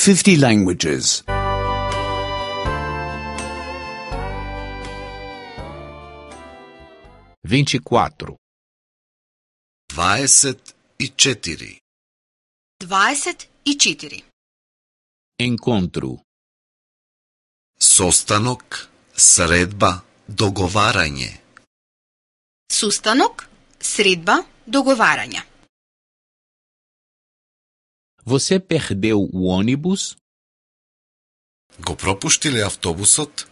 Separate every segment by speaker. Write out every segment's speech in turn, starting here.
Speaker 1: 50 languages.
Speaker 2: 24.
Speaker 3: 24.
Speaker 4: 24.
Speaker 2: Encontro.
Speaker 3: Состанок, средба, договарање.
Speaker 4: Сустанок, средба, договарање.
Speaker 2: Você perdeu o ônibus?
Speaker 3: Го пропуштиле автобусот?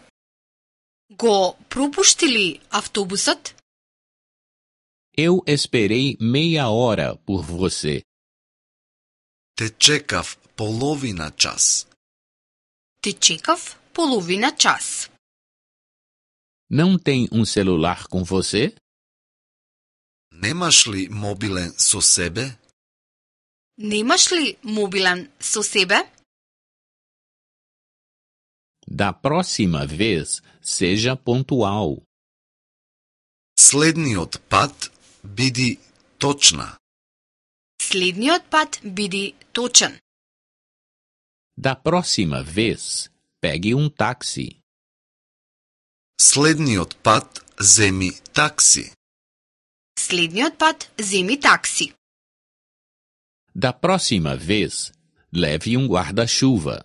Speaker 4: Го пропуштили автобусот?
Speaker 2: Eu esperei meia hora por você.
Speaker 3: Те чекав половина час.
Speaker 4: Те чекав половина час.
Speaker 2: Não tem um celular com você?
Speaker 3: Немаш ли мобилен со себе?
Speaker 4: Немаш ли мобилен со себе?
Speaker 2: Da próxima vez, seja pontual.
Speaker 3: Следниот пат биди точна.
Speaker 4: Следниот пат биди точен.
Speaker 2: Da próxima vez, pegue um táxi.
Speaker 3: Следниот пат земи такси.
Speaker 4: Следниот пат земи такси.
Speaker 2: Da próxima vez, leve um guarda-chuva.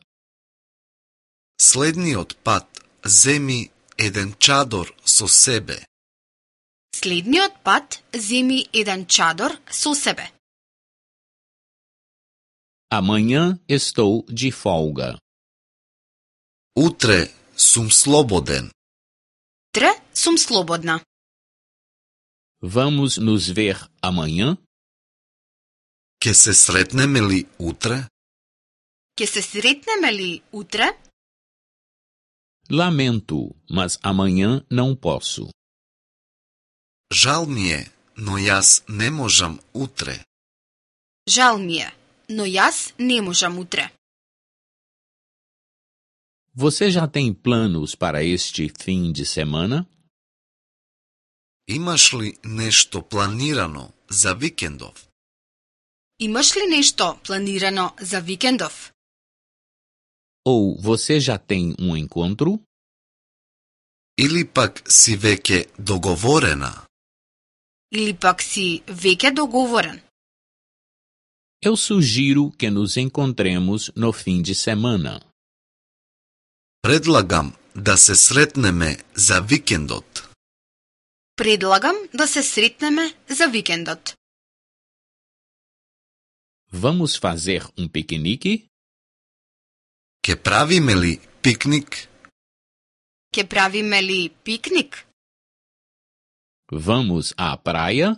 Speaker 3: Следниот пат земи еден чадор со себе.
Speaker 4: Следниот пат земи еден чадор со себе.
Speaker 2: Amanhã estou de folga.
Speaker 3: Утре сум слободен.
Speaker 4: Утре сум слободна.
Speaker 2: Vamos nos ver amanhã?
Speaker 3: Ке се сретнеме ли утре?
Speaker 4: Ке се сретнеме ли утре?
Speaker 2: Lamento, mas amanhã não posso.
Speaker 3: Жал ми е, но јас не можам утре.
Speaker 4: Жал ми е, но јас не можам утре.
Speaker 2: Você já tem planos para este fim de semana?
Speaker 3: Имаш ли нешто планирано за викендов?
Speaker 4: Имаш ли нешто планирано за викендов?
Speaker 2: Ou você já tem um encontro?
Speaker 3: Или пак си веќе договорена?
Speaker 4: Или пак си веќе договорен?
Speaker 2: Eu sugiro que nos encontremos no fim de semana.
Speaker 3: Предлагам да се сретнеме за викендот.
Speaker 4: Предлагам да се сретнеме за викендот.
Speaker 2: Vamos fazer um piquenique?
Speaker 3: Ке правиме ли пикник?
Speaker 4: Ке правиме ли пикник?
Speaker 2: Vamos à praia?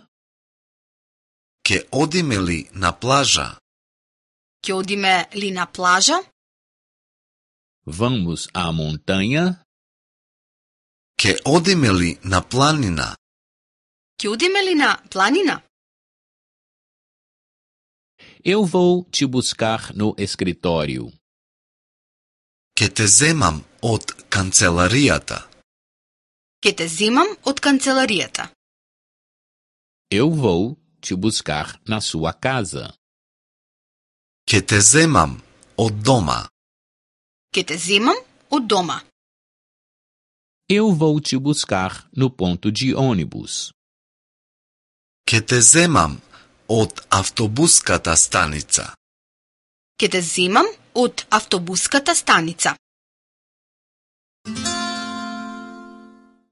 Speaker 3: Ке одиме ли на плажа?
Speaker 4: Ке одиме ли на плажа?
Speaker 2: Vamos à montanha?
Speaker 3: Ке одиме ли на планина?
Speaker 4: Ке одиме ли на планина?
Speaker 2: Eu vou te buscar no escritório.
Speaker 3: Ке те земам од канцеларијата.
Speaker 4: Ке те земам од канцеларијата.
Speaker 2: Eu vou te buscar na sua casa.
Speaker 3: Ке те земам од дома.
Speaker 4: Ке те земам од дома.
Speaker 2: Eu vou te buscar no ponto de ônibus.
Speaker 3: Ке те земам од автобуската станица.
Speaker 4: Ке те земам од автобуската станица.